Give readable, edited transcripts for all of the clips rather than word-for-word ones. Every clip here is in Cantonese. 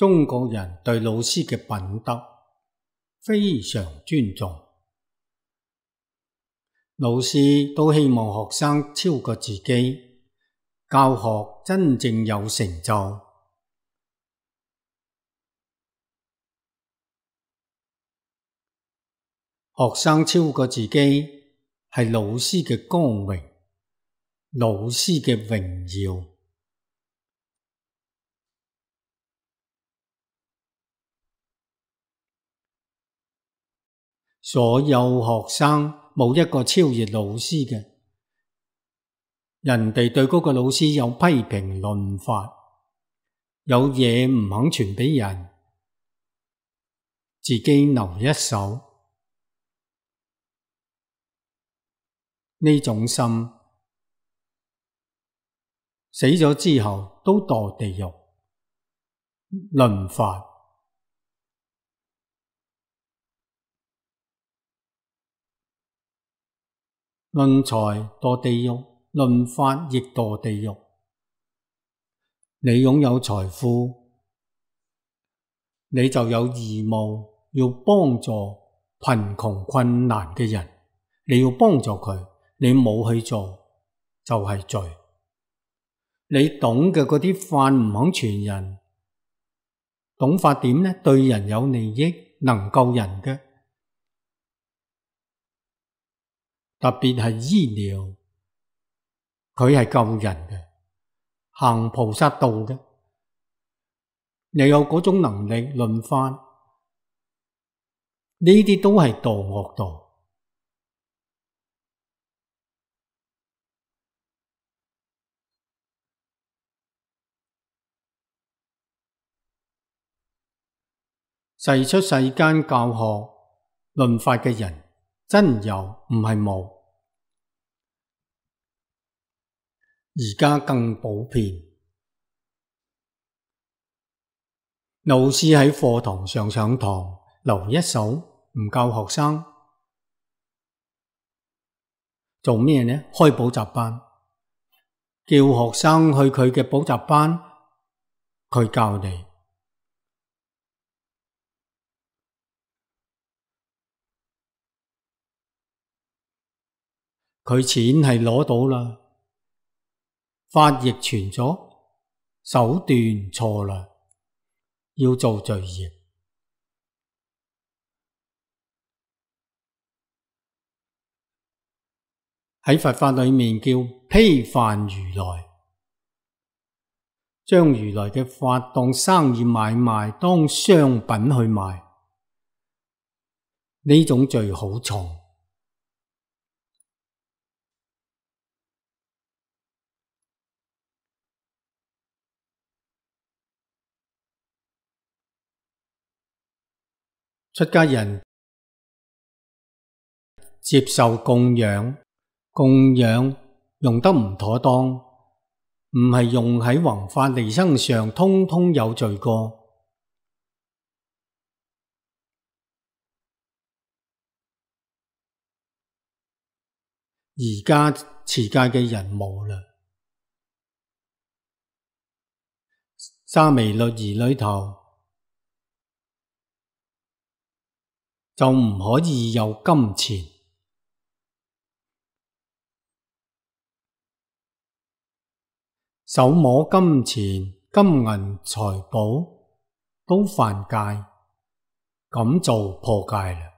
中國人對老師嘅品德非常尊重，老師都希望學生超過自己，教學真正有成就。學生超過自己係老師嘅光榮，老師嘅榮耀。所有學生冇一個超越老師嘅，人哋對嗰個老師有批評論法，有嘢唔肯傳俾人，自己留一手，呢種心死咗之後都墮地獄。論法論財墮地獄，論法亦墮地獄。你擁有財富，你就有義務要幫助貧窮困難嘅人，你要幫助佢，你冇去做就係罪。你懂嘅嗰啲法唔肯傳人，懂法點呢？對人有利益，能救人嘅。特別係醫療，佢係救人嘅，行菩薩道嘅，又有嗰種能力論法，呢啲都係墮惡道。世出世間教學論法嘅人真有，唔係冇。而家更普遍，老師喺課堂上上堂留一手，唔教學生做咩呢？開補習班，叫學生去佢嘅補習班，佢教你。佢錢係攞到啦，法亦傳咗，手段錯啦，要做罪業。喺佛法裏面叫披犯如來，將如來嘅法當生意買賣，當商品去賣，呢種罪好重。出家人接受供養，供養用得唔妥當，唔係用喺弘法利生上，通通有罪過。而家持戒嘅人冇啦，沙彌律儀裏頭就唔可以有金錢，手摸金錢、金銀財寶都犯戒，咁就破戒啦。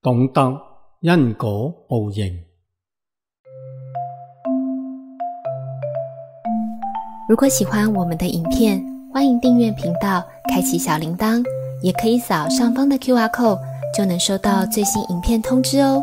懂得因果報應。如果喜歡我們的影片，歡迎訂閱頻道，開啟小鈴鐺，也可以掃上方的QR code，就能收到最新影片通知哦。